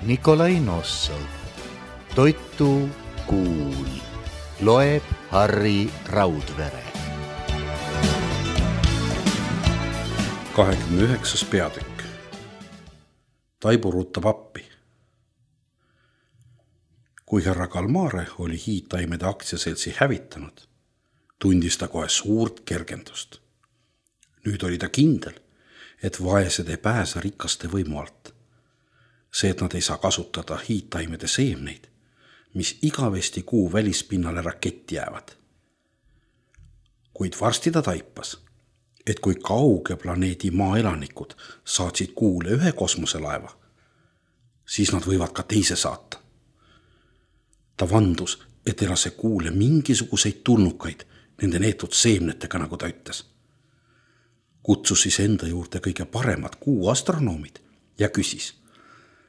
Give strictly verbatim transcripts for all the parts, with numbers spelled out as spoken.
Nikolai Nossov. Toitu kuul. Loeb Harri Raudvere. kahekümne üheksas peatükk. Taibu ruutab appi. Kui härra Kalmare oli hiidtaimede aktsiaseltsi hävitanud, tundis ta kohe suurt kergendust. Nüüd oli ta kindel, et vaesed ei pääse rikaste võimu alt. See, et nad ei saa kasutada hiidtaimede seemneid, mis igavesti kuu välispinnale raketti jäävad. Kuid varsti ta taipas, et kui kauge planeedi maa elanikud saatsid kuule ühe kosmoselaeva, siis nad võivad ka teise saata. Ta vandus, et ei lase kuule mingisuguseid tulnukaid nende neetud seemnetega, nagu ta ütles. Kutsus siis enda juurde kõige paremad kuu astronoomid ja küsis,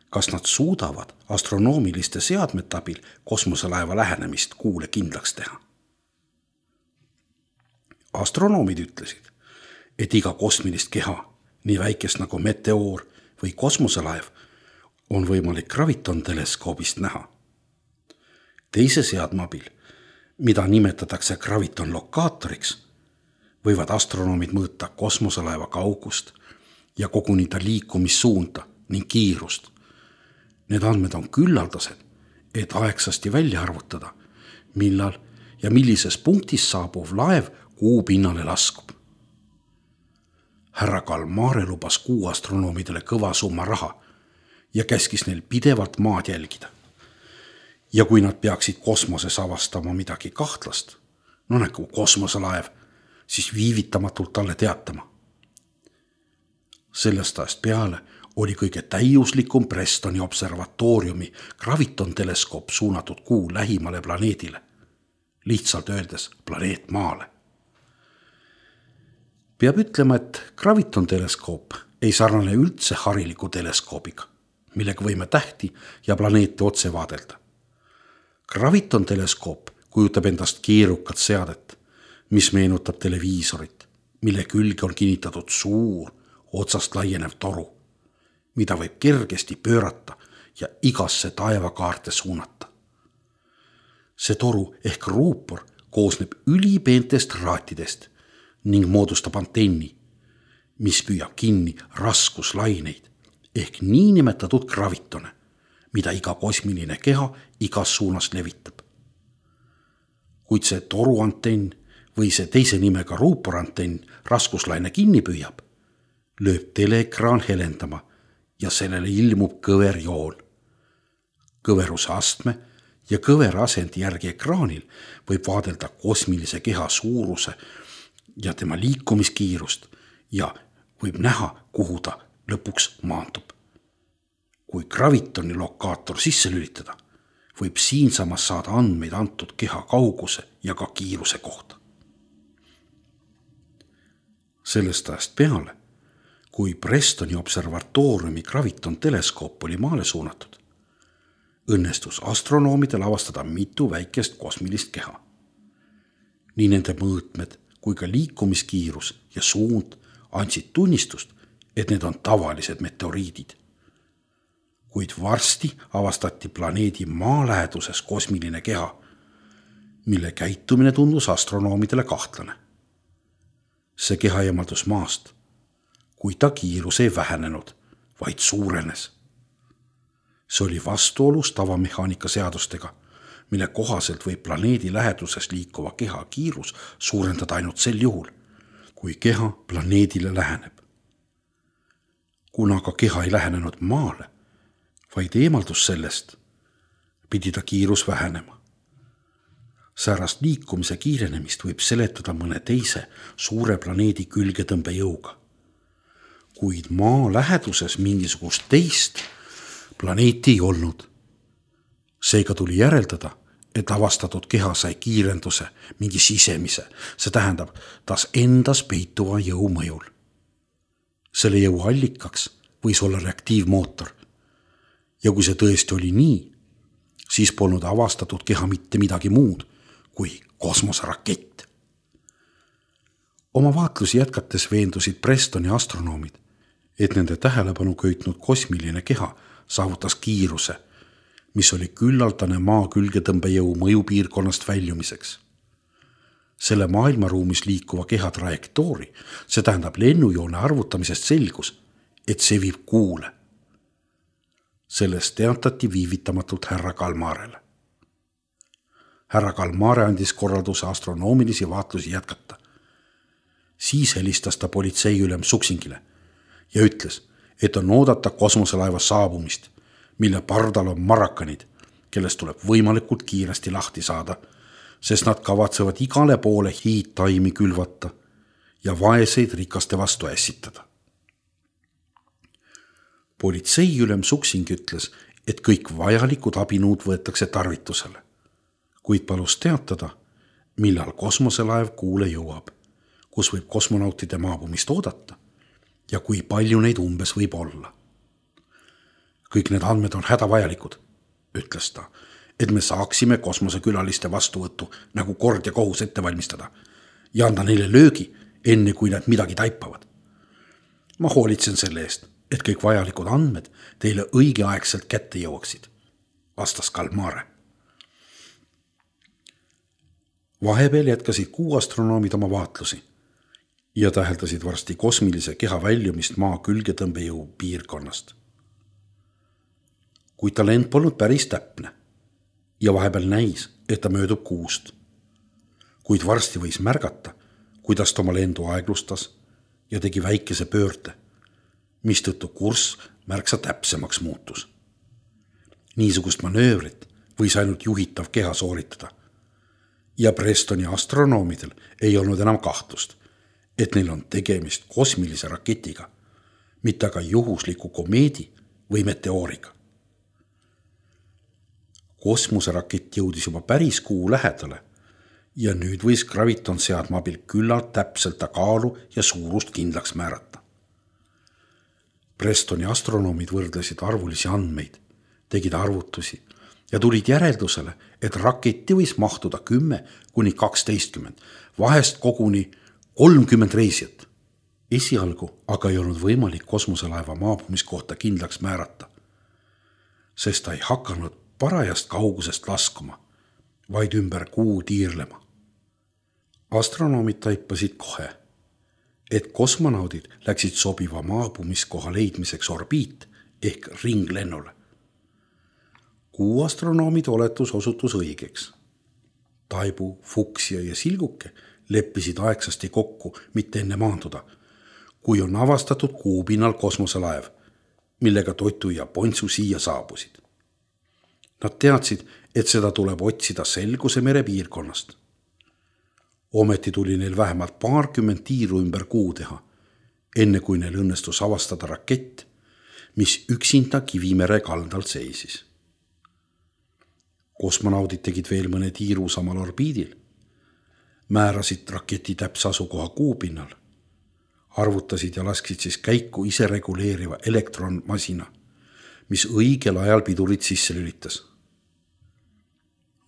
kas nad suudavad astronoomiliste seadmete abil kosmoselaeva lähenemist kuule kindlaks teha. Astronoomid ütlesid, et iga kosmilist keha, nii väikest nagu meteoor või kosmoselaev, on võimalik graviton-teleskoobist näha. Teise seadme abil, mida nimetatakse graviton-lokaatoriks, võivad astronoomid mõõta kosmoselaeva kaugust ja koguni ta liikumissuunda ning kiirust. Need andmed on küllaldased, et aegsasti välja arvutada, millal ja millises punktis saabuv laev kuu pinnale laskub. Härra Kalmare lubas kuu astronoomidele kõva summa raha ja käskis neil pidevalt maad jälgida. Ja kui nad peaksid kosmoses avastama midagi kahtlast, no nagu kosmoselaev, siis viivitamatult talle teatama. Sellest ajast peale oli kõige täiuslikum Prestoni observatooriumi graviton-teleskoop suunatud kuu lähimale planeedile, lihtsalt öeldes planeet Maale. Peab ütlema, et graviton-teleskoop ei sarnane üldse hariliku teleskoobiga, millega võime tähti ja planeete otse vaadelda. Graviton-teleskoop kujutab endast keerukat seadet, mis meenutab televiisorit, mille külge on kinnitatud suur, otsast laienev toru, mida võib kergesti pöörata ja igasse taevakaarte suunata. See toru ehk ruupor koosneb ülipeentest raatidest ning moodustab antenni, mis püüab kinni raskuslaineid ehk niinimetatud gravitone, mida iga kosmiline keha igas suunas levitab. Kuid see toruantenn või see teise nimega ruuporantenn raskuslaine kinni püüab, lööb teleekraan helendama ja sellele ilmub kõverjoon. Kõveruse astme ja kõvera asendi järgi ekraanil võib vaadelda kosmilise keha suuruse ja tema liikumiskiirust ja võib näha, kuhu ta lõpuks maandub. Kui gravitoni lokaator sisse lülitada, võib siinsamas saada andmeid antud keha kauguse ja ka kiiruse kohta. Sellest ajast peale, kui Prestoni observatooriumi graviton-teleskoop oli maale suunatud, õnnestus astronoomidel avastada mitu väikest kosmilist keha. Nii nende mõõtmed kui ka liikumiskiirus ja suund andsid tunnistust, et need on tavalised meteoriidid. Kuid varsti avastati planeedi maa läheduses kosmiline keha, mille käitumine tundus astronoomidele kahtlane. See keha eemaldus maast, kui ta kiirus ei vähenenud, vaid suurenes. See oli vastuolus tavamehaanika seadustega, mille kohaselt võib planeedi läheduses liikuva keha kiirus suurendada ainult sel juhul, kui keha planeedile läheneb. Kuna ka keha ei lähenenud maale, vaid eemaldus sellest, pidi ta kiirus vähenema. Säärast liikumise kiirenemist võib seletada mõne teise suure planeedi külgetõmbejõuga. Kuid maa läheduses mingisugust teist planeeti ei olnud. Seega tuli järeldada, et avastatud keha sai kiirenduse mingi sisemise, see tähendab tas endas peituva jõu mõjul. Selle jõu allikaks võis olla reaktiivmootor. Ja kui see tõesti oli nii, siis polnud avastatud keha mitte midagi muud kui kosmoserakett. Oma vaatlusi jätkates veendusid Prestoni astronoomid, et nende tähelepanu köitnud kosmiline keha saavutas kiiruse, mis oli küllaldane maa külgetõmbejõu mõjupiirkonnast väljumiseks. Selle maailmaruumis liikuva keha trajektoori, see tähendab lennujoone arvutamisest selgus, et see viib kuule. Sellest teatati viivitamatult härra Kalmarele. Härra Kalmare andis korralduse astronoomilisi vaatlusi jätkata. Siis helistas ta politseiülem Suksingile ja ütles, et on oodata kosmoselaeva saabumist, mille pardal on marakanid, kellest tuleb võimalikult kiiresti lahti saada, sest nad kavatsevad igale poole hiidtaimi külvata ja vaeseid rikaste vastu ässitada. Politseiülem Suksing ütles, et kõik vajalikud abinõud võetakse tarvitusele, kuid palus teatada, millal kosmoselaev kuule jõuab, kus võib kosmonautide maabumist oodata ja kui palju neid umbes võib olla. Kõik need andmed on hädavajalikud, ütles ta, et me saaksime kosmosekülaliste vastuvõttu nagu kord ja kohus ette valmistada ja anda neile löögi, enne kui nad midagi taipavad. Ma hoolitsen selle eest, et kõik vajalikud andmed teile õigeaegselt kätte jõuaksid, vastas Kalmare. Vahepeal jätkasid kuu astronoomid oma vaatlusi ja täheldasid varsti kosmilise keha väljumist maa külgetõmbejõu piirkonnast. Kuid ta lend polnud päris täpne ja vahepeal näis, et ta möödub kuust. Kuid varsti võis märgata, kuidas ta oma lendu aeglustas ja tegi väikese pöörde, mistõttu kurss märksa täpsemaks muutus. Niisugust manöövrit võis ainult juhitav keha sooritada ja Prestoni astronoomidel ei olnud enam kahtlust, et neil on tegemist kosmilise raketiga, mitte aga juhusliku komeedi või meteooriga. Kosmoserakett jõudis juba päris kuu lähedale ja nüüd võis graviton seadma abil küllalt täpselt ta kaalu ja suurust kindlaks määrata. Prestoni astronoomid võrdlesid arvulisi andmeid, tegid arvutusi ja tulid järeldusele, et raketti võis mahtuda kümme kuni kaksteistkümmend, vahest koguni kolmkümmend reisijat. Esialgu aga ei olnud võimalik kosmoselaeva maabumiskohta kindlaks määrata, sest ta ei hakanud parajast kaugusest laskuma, vaid ümber kuu tiirlema. Astronoomid taipasid kohe, et kosmonaudid läksid sobiva maabumiskoha leidmiseks orbiit ehk ringlennule. Kuu astronoomide oletus osutus õigeks. Taibu, Fuksia ja Silguke leppisid aegsasti kokku mitte enne maanduda, kui on avastatud kuupinnal kosmoselaev, millega Totu ja Pontsu siia saabusid. Nad teadsid, et seda tuleb otsida Selguse mere piirkonnast. Ometi tuli neil vähemalt paarkümmend tiiru ümber kuu teha, enne kui neil õnnestus avastada rakett, mis üksinda Kivimere kaldal seisis. Kosmonaudid tegid veel mõne tiiru samal orbiidil, määrasid raketi täpse asukoha kuupinnal, arvutasid ja lasksid siis käiku ise reguleeriva elektronmasina, mis õigel ajal pidurit sisse lülitas.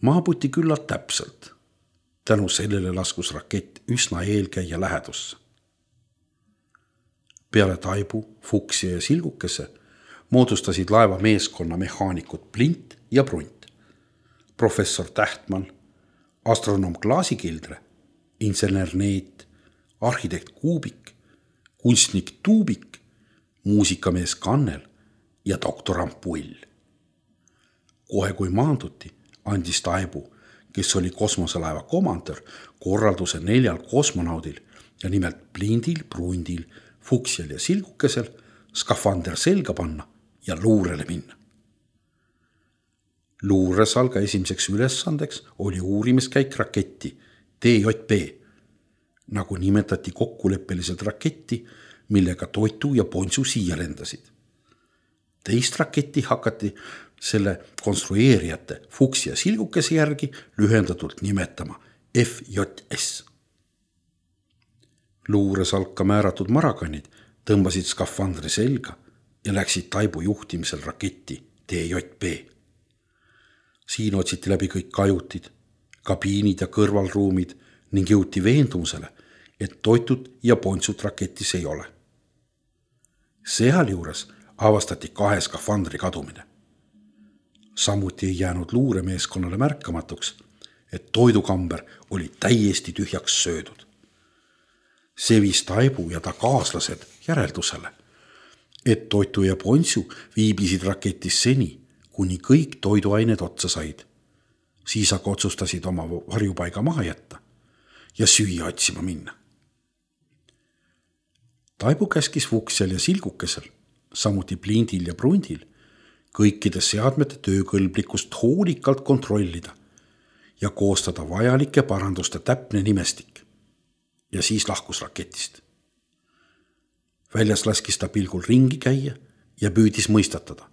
Maabuti küllalt täpselt, tänu sellele laskus rakett üsna eelkäija lähedusse. Peale Taibu, Fuksia ja Silgukese moodustasid laeva meeskonna mehaanikud Plint ja Brunt, professor Tähtmann, astronoom Klaasikildre, insener Neet, arhitekt Kuubik, kunstnik Tuubik, muusikamees Kannel ja doktor Ampull. Kohe kui maanduti, andis Taibu, kes oli kosmoselaeva komandör, korralduse neljal kosmonaudil ja nimelt Plindil, Brundil, Fuksial ja Silgukesel skafander selga panna ja luurele minna. Luuresalga esimeseks ülesandeks oli uurimiskäik raketti T J P, nagu nimetati kokkuleppeliselt raketti, millega Totu ja Pontsu siia lendasid. Teist raketti hakati selle konstrueerijate Fuksia Silgukese järgi lühendatult nimetama F J S. Luuresalka määratud marakanid tõmbasid skafandri selga ja läksid Taibu juhtimisel raketti T J P. Siin otsiti läbi kõik kajutid, kabiinid ja kõrvalruumid ning jõuti veendumusele, et Totut ja Pontsut raketis ei ole. Sealjuures avastati kahe skafandri kadumine. Samuti ei jäänud luuremeeskonnale märkamatuks, et toidukamber oli täiesti tühjaks söödud. See viis Taibu ja ta kaaslased järeldusele, et Toitu ja Ponsu viibisid raketis seni, kuni kõik toiduained otsa said. Siis aga otsustasid oma varjupaiga maha jätta ja süüa otsima minna. Taibu käskis Vuksjal ja Silgukesel, samuti Plindil ja Brundil, kõikide seadmete töökõlblikkust hoolikalt kontrollida ja koostada vajalike paranduste täpne nimestik. Ja siis lahkus raketist. Väljas laskis ta pilgul ringi käia ja püüdis mõistatada,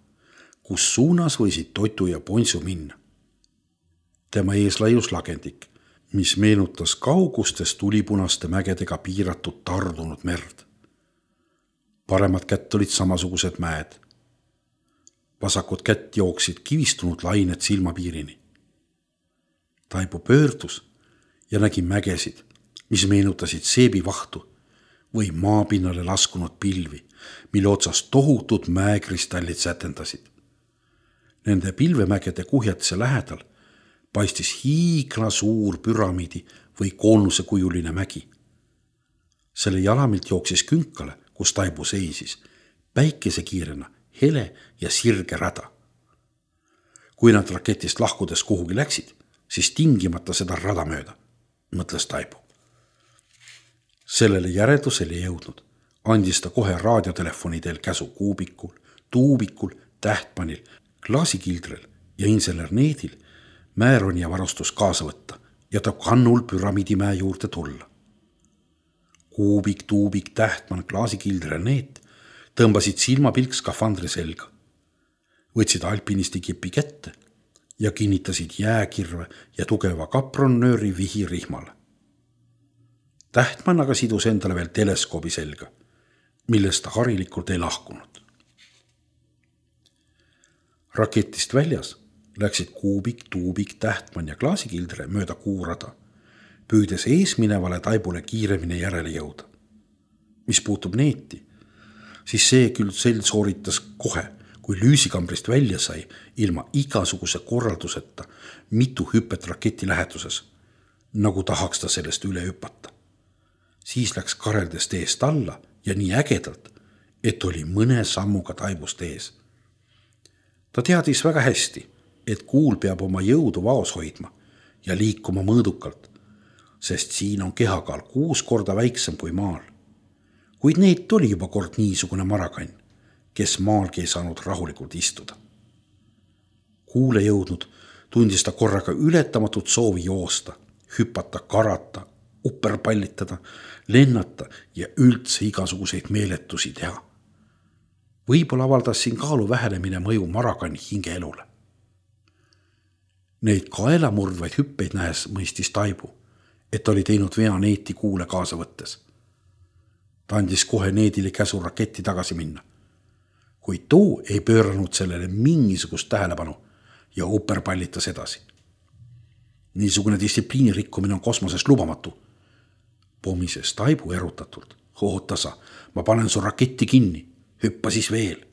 kus suunas võisid Toitu ja Ponsu minna. Tema ees laius lagendik, mis meenutas kaugustes tulipunaste mägedega piiratud tardunud merd. Paremad kätt olid samasugused mäed. Vasakut kätt jooksid kivistunud lained silmapiirini. Taibu pöördus ja nägi mägesid, mis meenutasid seebivahtu või maapinnale laskunud pilvi, mille otsas tohutud mäekristallid sätendasid. Nende pilvemägede kuhjatise lähedal paistis hiigla suur püramiidi või koonuse kujuline mägi. Selle jalamilt jooksis künkale, kus Taibu seisis, päikesekiirena hele ja sirge rada. Kui nad raketist lahkudes kuhugi läksid, siis tingimata seda rada mööda, mõtles Taibu. Sellele järeldusele jõudnud, andis ta kohe raadiotelefoni teel käsu Kuubikul, Tuubikul, Tähtpanil, Klaasikildrel ja insener Needil määroni ja varustus kaasa võtta ja ta kannul püramiidimäe juurde tulla. Kuubik, Tuubik, Tähtman, Klaasikildre ja Need tõmbasid silmapilk skafandri selga, võtsid alpinisti kipi kätte ja kinnitasid jääkirve ja tugeva kapronnööri vihi rihmale. Tähtman aga sidus endale veel teleskoobi selga, millest ta harilikult ei lahkunud. Raketist väljas läksid Kuubik, Tuubik, Tähtman ja Klaasikildre mööda kuurada, püüdes eesminevale Taibule kiiremini järele jõuda. Mis puutub Neeti, siis see küll sel sooritas kohe, kui lüüsikambrist välja sai ilma igasuguse korralduseta mitu hüpet raketi läheduses, nagu tahaks ta sellest üle hüpata. Siis läks kareldest eest alla ja nii ägedalt, et oli mõne sammuga Taibust ees. Ta teadis väga hästi, et kuul peab oma jõudu vaos hoidma ja liikuma mõõdukalt, sest siin on kehakaal kuus korda väiksem kui maal. Kuid Neet oli juba kord niisugune marakann, kes maalgi ei saanud rahulikult istuda. Kuule jõudnud tundis ta korraga ületamatut soovi joosta, hüpata, karata, upperpallitada, lennata ja üldse igasuguseid meeletusi teha. Võib-olla avaldas siin kaalu vähenemine mõju marakanni hingeelule. Neid kaelamurdvaid hüppeid nähes mõistis Taibu, et oli teinud vea Neeti kuule kaasa võttes. Ta andis kohe Needile käsu raketti tagasi minna, kuid too ei pööranud sellele mingisugust tähelepanu ja upperpallitas edasi. Niisugune distsipliini rikkumine on kosmoses lubamatu. Pomises Taibu erutatult. Ootasa, ma panen su raketti kinni, hüppa siis veel.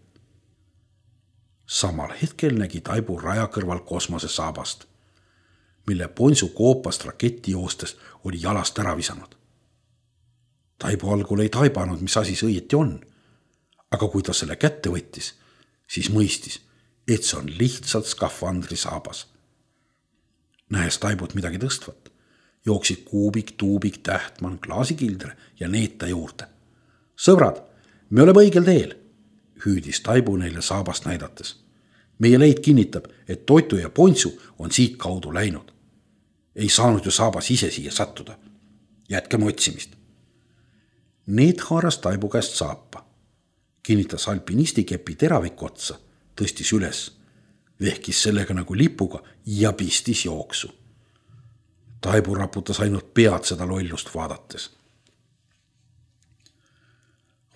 Samal hetkel nägi Taibu raja kõrval kosmose saabast, mille Ponsu koopast raketti joostes oli jalast ära visanud. Taibu algul ei taibanud, mis asi see õieti on, aga kui ta selle kätte võttis, siis mõistis, et see on lihtsalt skafandri saabas. Nähes Taibut midagi tõstvat, jooksid Kuubik, Tuubik, Tähtman, Klaasikildre ja Neeta juurde. Sõbrad, me oleme õigel teel, hüüdis Taibu neile saabast näidates. Meie leid kinnitab, et Toitu ja Ponsu on siit kaudu läinud. Ei saanud ju saabas ise siia sattuda. Jätkame otsimist. Need haaras Taibu käest saapa. Kinnitas alpinisti kepi teraviku otsa, tõstis üles, vehkis sellega nagu lipuga ja pistis jooksu. Taibu raputas ainult pead seda lollust vaadates.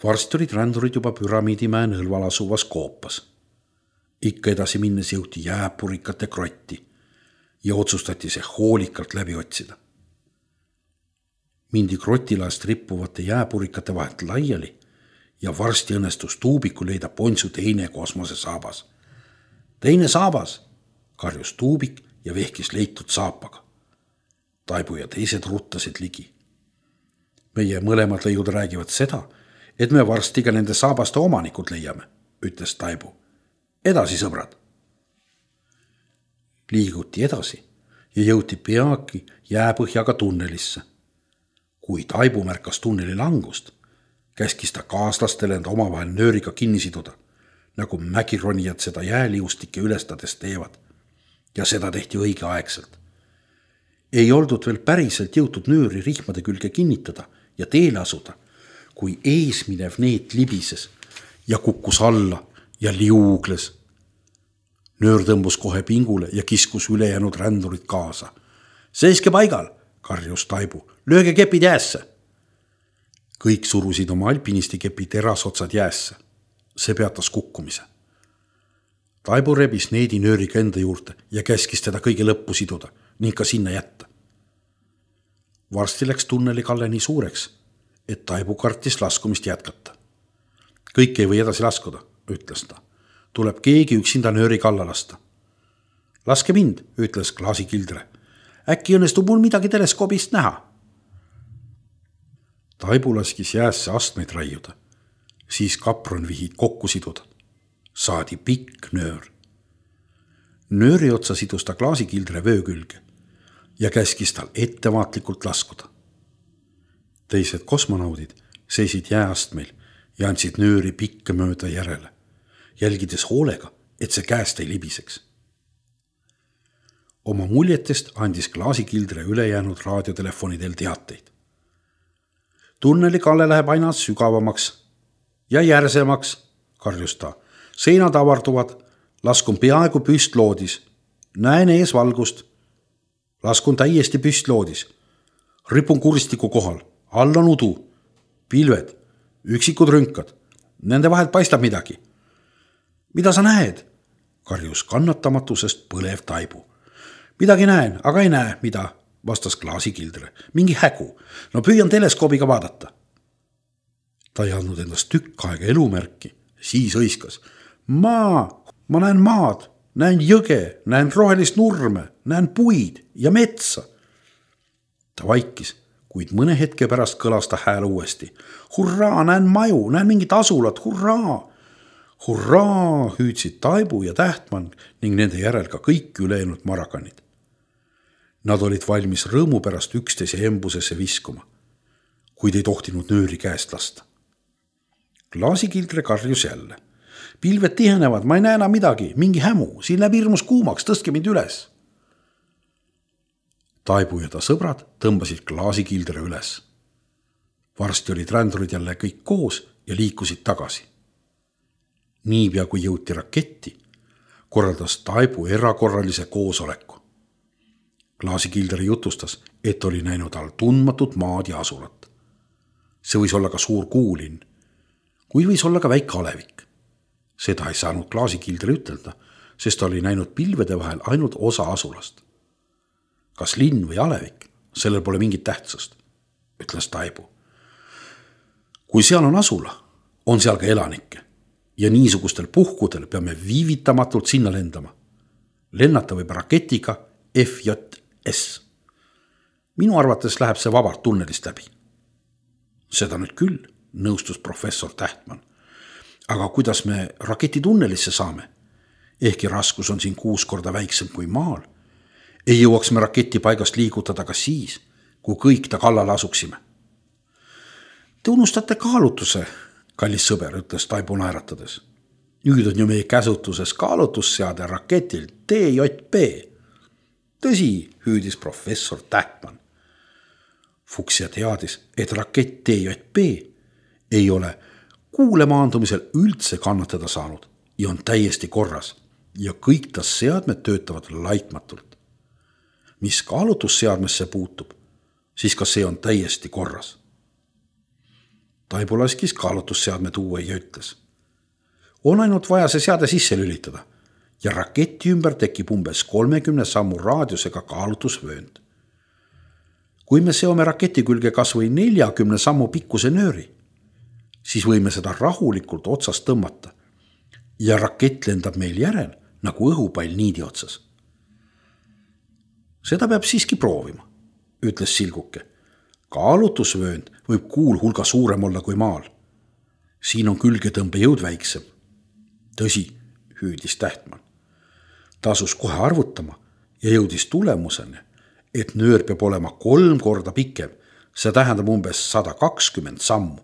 Varsti olid rändurid juba püramiidimäe nõlval asuvas koopas. Ikka edasi minnes jõuti jääpurikate krotti ja otsustati see hoolikalt läbi otsida. Mindi krotilast rippuvate jääpurikate vahelt laiali ja varsti õnnestus Tuubiku leida Pontsu teine kosmosesaabas. Teine saabas, karjus Tuubik ja vehkis leitud saapaga. Taibu ja teised ruttasid ligi. Meie mõlemad leiud räägivad seda, et me varsti ka nende saabaste omanikud leiame, ütles Taibu. Edasi, sõbrad. Liiguti edasi ja jõuti peagi jääpõhjaga tunnelisse. Kui Taibu märkas tunneli langust, käskis ta kaaslastele enda omavahel nööriga kinni siduda, nagu mägironijad seda jääliustike ülestades teevad. Ja seda tehti õigeaegselt. Ei oldud veel päriselt jõutud nööri rihmade külge kinnitada ja teele asuda, kui eesminev neet libises ja kukkus alla ja liugles. Nöör tõmbus kohe pingule ja kiskus ülejäänud rändurid kaasa. Seiske paigal, karjus Taibu, lööge kepid jäässe. Kõik surusid oma alpinisti kepi terasotsad jäässe. See peatas kukkumise. Taibu rebis needi nööriga enda juurde ja käskis teda kõige lõppu siduda ning ka sinna jätta. Varsti läks tunneli kalle nii suureks, et Taibu kartis laskumist jätkata. Kõik ei või edasi laskuda, ütles ta. Tuleb keegi üksinda nööri kalla lasta. Laske mind, ütles klaasikildre. Äkki õnnestub mul midagi teleskoobist näha. Taibu laskis jäässe astmeid raiuda. Siis kapronvihid kokku siduda. Saadi pikk nöör. Nööri otsa sidus ta klaasikildre vöö külge ja käskis tal ettevaatlikult laskuda. Teised kosmonaudid seisid jääastmeil ja andsid nööri pikka mööda järele, jälgides hoolega, et see käest ei libiseks. Oma muljetest andis klaasikildre ülejäänud raadiotelefonidel teateid. Tunneli kalle läheb aina sügavamaks ja järsemaks, karjus ta. Seinad avarduvad, laskun peaaegu püstloodis, näen ees valgust, laskun täiesti püstloodis, ripun kuristiku kohal, all on udu, pilved, üksikud rünkad, nende vahelt paistab midagi. Mida sa näed? Karjus kannatamatusest põlev Taibu. Midagi näen, aga ei näe, mida, vastas klaasikildre. Mingi hägu, no püüan teleskoobiga vaadata. Ta ei andnud endast tükk aega elumärki, siis õiskas. Maa, ma näen maad, näen jõge, näen rohelist nurme, näen puid ja metsa. Ta vaikis, kuid mõne hetke pärast kõlas ta hääl uuesti. Hurraa, näen maju, näen mingit asulat, hurraa. Hurraa, hüüdsid Taibu ja Tähtmann ning nende järel ka kõik ülejäänud marakanid. Nad olid valmis rõõmu pärast üksteise embusesse viskuma, kuid ei tohtinud nööri käest lasta. Klaasikildre karjus jälle. Pilved tihenevad, ma ei näe enam midagi, mingi hämu, siin läheb hirmus kuumaks, tõstke mind üles. Taibu ja ta sõbrad tõmbasid klaasikildre üles. Varsti olid rändurid jälle kõik koos ja liikusid tagasi. Niipea kui jõuti raketti, korraldas Taibu erakorralise koosoleku. Klaasikildre jutustas, et oli näinud all tundmatut maad ja asulat. See võis olla ka suur kuulinn, kuid võis olla ka väike alevik. Seda ei saanud klaasikildre ütelda, sest ta oli näinud pilvede vahel ainult osa asulast. Kas linn või alevik, sellel pole mingit tähtsust, ütles Taibu. Kui seal on asula, on seal ka elanikke ja niisugustel puhkudel peame viivitamatult sinna lendama. Lennata võib raketiga F J S. Minu arvates läheb see vabalt tunnelist läbi. Seda nüüd küll, nõustus professor Tähtmann. Aga kuidas me raketi tunnelisse saame? Ehkki raskus on siin kuus korda väiksem kui maal. Ei jõuaks me raketi paigast liigutada ka siis, kui kõik ta kallale asuksime. Te unustate kaalutuse, kallis sõber, ütles Taibu naeratades. Nüüd on ju meie käsutuses kaalutusseade raketil T J P. Tõsi, hüüdis professor Tähtmann. Fuchsia teadis, et rakett T J P ei ole kuule maandumisel üldse kannatada saanud ja on täiesti korras ja kõik ta seadmed töötavad laitmatult. Mis kaalutusseadmesse puutub, siis ka see on täiesti korras. Taibu laskis kaalutusseadme tuua ja ütles. On ainult vaja see seade sisse lülitada ja raketi ümber tekib umbes kolmekümne sammu raadiusega kaalutusvöönd. Kui me seome raketi külge kas või neljakümne sammu pikkuse nööri, siis võime seda rahulikult otsast tõmmata ja rakett lendab meil järel nagu õhupall niidi otsas. Seda peab siiski proovima, ütles Silguke. Kaalutusvöönd võib kuul hulga suurem olla kui maal. Siin on külgetõmbe jõud väiksem. Tõsi, hüüdis Tähtmann. Ta asus kohe arvutama ja jõudis tulemuseni, et nöör peab olema kolm korda pikem. See tähendab umbes sada kakskümmend sammu.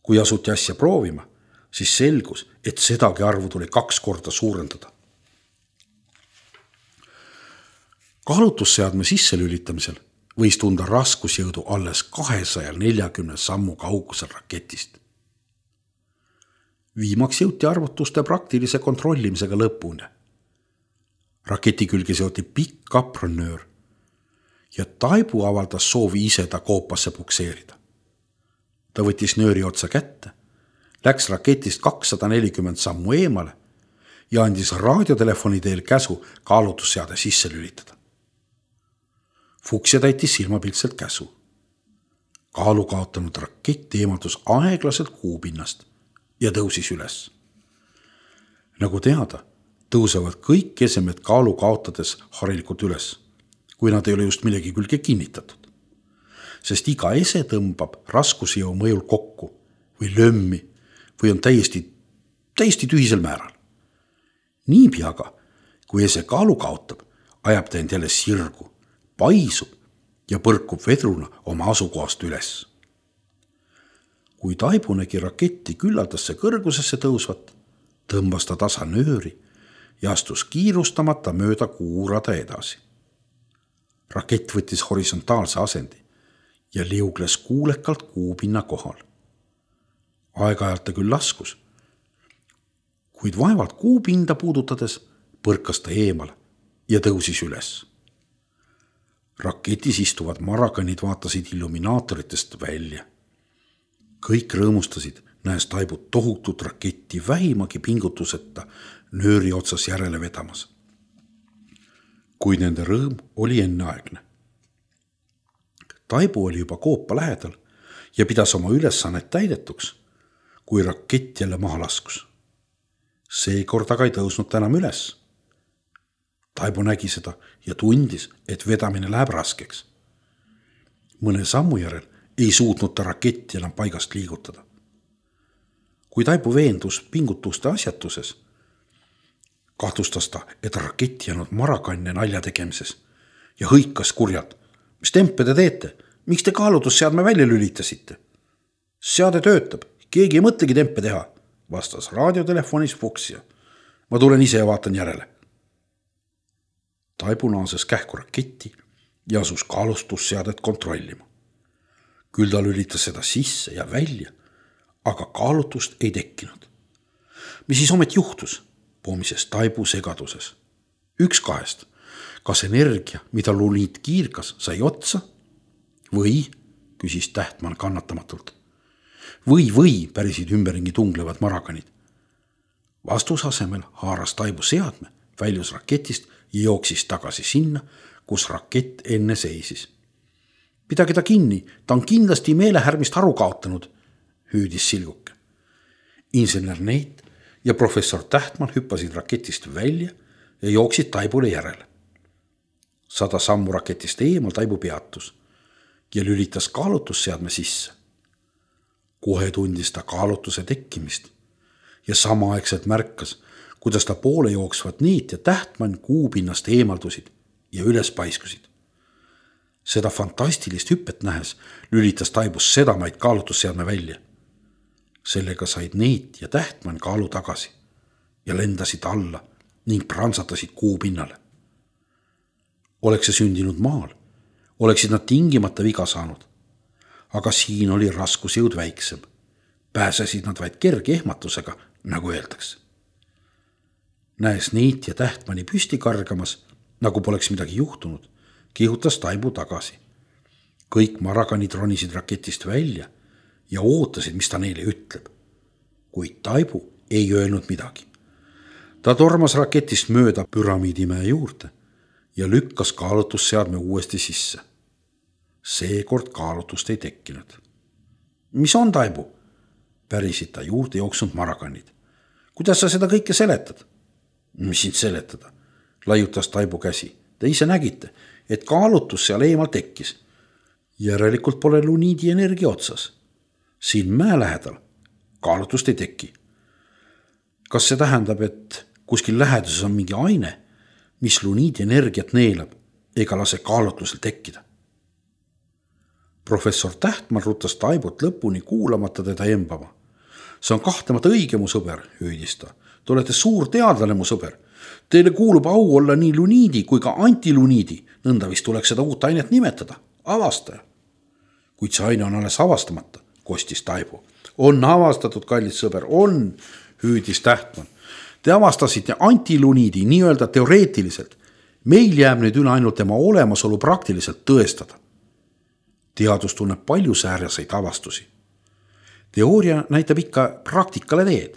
Kui asuti asja proovima, siis selgus, et sedagi arvu tuli kaks korda suurendada. Kaalutusseadme sisse lülitamisel võis tunda raskusjõudu alles kahesaja neljakümne sammu kaugusel raketist. Viimaks jõuti arvutuste praktilise kontrollimisega lõpuni. Raketi külge seoti pikk kapronöör ja Taibu avaldas soovi ise ta koopasse pukseerida. Ta võttis nööri otsa kätte, läks raketist kakssada nelikümmend sammu eemale ja andis raadiotelefoni teel käsu kaalutusseade sisse lülitada. Fuksja täitis silmapiltselt käsu. Kaalu kaotanud rakett eemaldus aeglaselt kuupinnast ja tõusis üles. Nagu teada, tõusevad kõik esemed kaalu kaotades harilikult üles, kui nad ei ole just millegi külge kinnitatud. Sest iga ese tõmbab raskusjõu mõjul kokku või lömmi või on täiesti, täiesti tühisel määral. Niipea aga, kui ese kaalu kaotab, ajab ta end jälle sirgu, paisub ja põrkub vedruna oma asukohast üles. Kui Taibu nägi raketti küllaldasse kõrgusesse tõusvat, tõmbas ta tasa nööri ja astus kiirustamata mööda kuurada edasi. Rakett võttis horisontaalse asendi ja liugles kuulekalt kuupinna kohal. Aeg-ajalt ta küll laskus, kuid vaevalt kuupinda puudutades põrkas ta eemale ja tõusis üles. Raketis istuvad marakanid vaatasid illuminaatoritest välja. Kõik rõõmustasid, näes Taibu tohutut raketti vähimagi pingutuseta nööri otsas järele vedamas. Kuid nende rõõm oli enneaegne. Taibu oli juba koopa lähedal ja pidas oma ülesannet täidetuks, kui rakett jälle maha laskus. Seekord aga ei tõusnud ta enam üles. Taibu nägi seda ja tundis, et vedamine läheb raskeks. Mõne sammu järel ei suutnud ta raketti enam paigast liigutada. Kui Taibu veendus pingutuste asjatuses, kahtlustas ta, et rakett jäänud marakanne nalja tegemises ja hõikas kurjalt. Mis tempe te teete? Miks te kaalutusseadme välja lülitasite? Seade töötab, keegi ei mõtlegi tempe teha, vastas raadiotelefonis Fuksja. Ma tulen ise ja vaatan järele. Taibu naases kähku raketti ja asus kaalustusseadet kontrollima. Küll ta lülitas seda sisse ja välja, aga kaalutust ei tekkinud. Mis siis omet juhtus? Poomises Taibu segaduses. Üks kahest. Kas energia, mida luliit kiirgas, sai otsa? Või, küsis Tähtmann kannatamatult. Või, või, pärisid ümberringi tunglevad marakanid. Vastus asemel haaras Taibu seadme, väljus raketist ja jooksis tagasi sinna, kus rakett enne seisis. Pidage ta kinni, ta on kindlasti meelehärmist aru kaotanud, hüüdis Silguke. Insener Neit ja professor Tähtmann hüppasid raketist välja ja jooksid Taibule järele. Sada sammu raketist eemal Taibu peatus ja lülitas kaalutusseadme sisse. Kohe tundis ta kaalutuse tekkimist ja samaaegselt märkas, kuidas ta poole jooksvat Neit ja Tähtmann kuupinnast eemaldusid ja üles paiskusid. Seda fantastilist hüppet nähes lülitas Taibus sedamaid kaalutusseadme välja. Sellega said Neit ja Tähtmann kaalu tagasi ja lendasid alla ning prantsatasid kuupinnale. Oleks see sündinud maal, oleksid nad tingimata viga saanud. Aga siin oli raskusjõud väiksem. Pääsesid nad vaid kerge ehmatusega, nagu öeldakse. Näes Neit ja Tähtmanni püsti kargamas, nagu poleks midagi juhtunud, kihutas Taibu tagasi. Kõik marakanid ronisid raketist välja ja ootasid, mis ta neile ütleb. Kuid Taibu ei öelnud midagi. Ta tormas raketist mööda püramiidimäe juurde ja lükkas kaalutusseadme uuesti sisse. Seekord kaalutust ei tekkinud. Mis on, Taibu? pärisid ta juurde jooksnud marakannid. Kuidas sa seda kõike seletad? Mis sind seletada? Laiutas Taibu käsi. Te ise nägite, et kaalutus seal eemal tekkis. Järelikult pole luniidi energia otsas. Siin mäe lähedal kaalutust ei teki. Kas see tähendab, et kuskil läheduses on mingi aine, mis luniidi energiat neelab ega lase kaalutlusel tekkida? Professor Tähtman rutas Taibut lõpuni kuulamata teda embama. See on kahtlemata õige, mu sõber, hüüdis ta. Te olete suur teadlane, mu sõber. Teile kuulub au olla nii luniidi kui ka antiluniidi. Nõnda vist tuleks seda uut ainet nimetada. Avastaja. Kuid see aine on alles avastamata, kostis Taibu. On avastatud, kallis sõber, on, hüüdis Tähtman. Te avastasite antiluniidi nii-öelda teoreetiliselt. Meil jääb nüüd üle ainult tema olemasolu praktiliselt tõestada. Teadus tunneb palju säärjaseid avastusi. Teooria näitab ikka praktikale teed.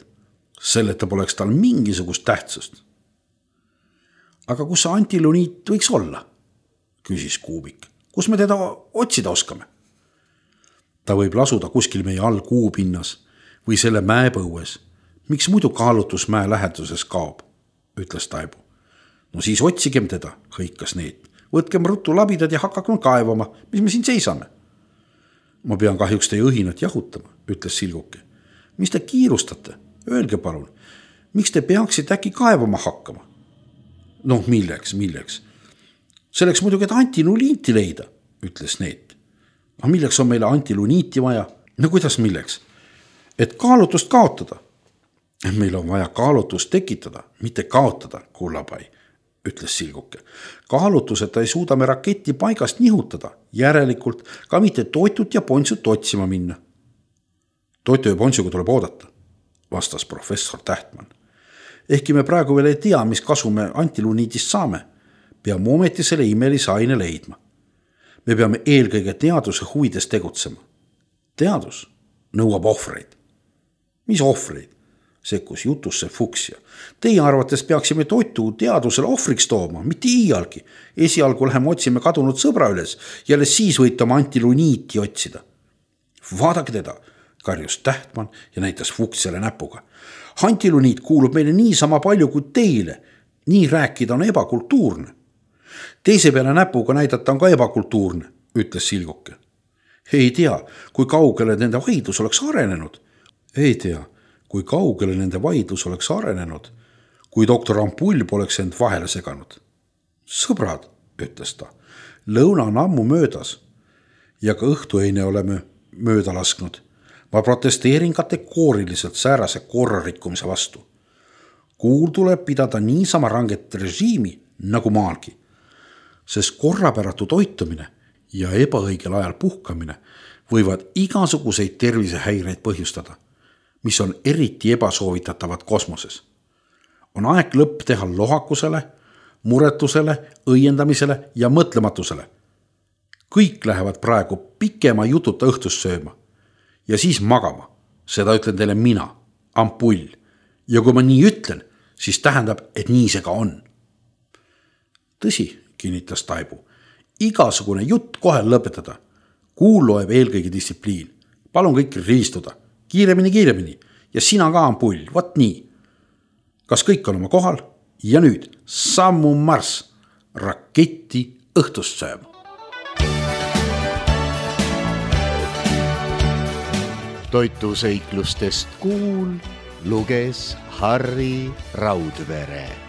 Selleta poleks tal mingisugust tähtsust. Aga kus see antiluniit võiks olla? Küsis Kuubik. Kus me teda otsida oskame? Ta võib lasuda kuskil meie all kuupinnas või selle mäepõues. Miks muidu kaalutus mäe läheduses kaob? Ütles Taibu. No siis otsigem teda, hõikas Neet. Võtkem ruttu labidad ja hakakem kaevama, mis me siin seisame. Ma pean kahjuks teie õhinat jahutama, ütles Silguke. Mis te kiirustate? Öelge palun, miks te peaksite äkki kaevama hakkama? Noh, milleks, milleks? Selleks muidugi, et antiluniiti leida, ütles Neet. Aga milleks on meile antiluniiti vaja? No kuidas milleks? Et kaalutust kaotada. Meil on vaja kaalutust tekitada, mitte kaotada, kullapai, ütles Silguke. Kaalutuseta ei suuda me raketti paigast nihutada, järelikult ka mitte toitut ja pontsut otsima minna. Toitu ja pontsuga tuleb oodata, vastas professor Tähtman. Ehkki me praegu veel ei tea, mis kasu me antiluniidist saame, peame ometi selle imelise aine leidma. Me peame eelkõige teaduse huvides tegutsema. Teadus nõuab ohvreid. Mis ohvreid? Sekkus jutusse Fuksja. Teie arvates peaksime toitu teadusele ohvriks tooma, mitte iialgi. Esialgu läheme otsime kadunud sõbra üles, jälle siis võite oma antiluniiti otsida. Vaadake teda, karjus Tähtman ja näitas Fuksjale näpuga. Antiluniit kuulub meile nii sama palju kui teile. Nii rääkida on ebakultuurne. Teise peale näpuga näidata on ka ebakultuurne, ütles Silguke. Ei tea, kui kaugele nende vaidlus oleks arenenud. Ei tea, kui kaugele nende vaidlus oleks arenenud, kui doktor Ampull poleks end vahele seganud. Sõbrad, ütles ta, lõuna on ammu möödas ja ka õhtueine oleme mööda lasknud. Ma protesteerin kategooriliselt säärase korrarikkumise vastu. Kuul tuleb pidada niisama ranget režiimi nagu maalgi, sest korrapäratu toitumine ja ebaõigel ajal puhkamine võivad igasuguseid tervisehäireid põhjustada, mis on eriti ebasoovitatavad kosmoses. On aeg lõpp teha lohakusele, muretusele, õiendamisele ja mõtlematusele. Kõik lähevad praegu pikema jututa õhtust sööma ja siis magama. Seda ütlen teile mina, Ampull. Ja kui ma nii ütlen, siis tähendab, et nii see ka on. Tõsi, kinnitas Taibu. Igasugune jutt kohe lõpetada. Kuul loeb eelkõige distsipliin. Palun kõik rivistuda. Kiiremini, kiiremini ja sina ka, Ampull, võt nii. Kas kõik on oma kohal? Ja nüüd sammu marss raketti õhtust sööma. Toituseiklustest Kuul luges Harri Raudvere.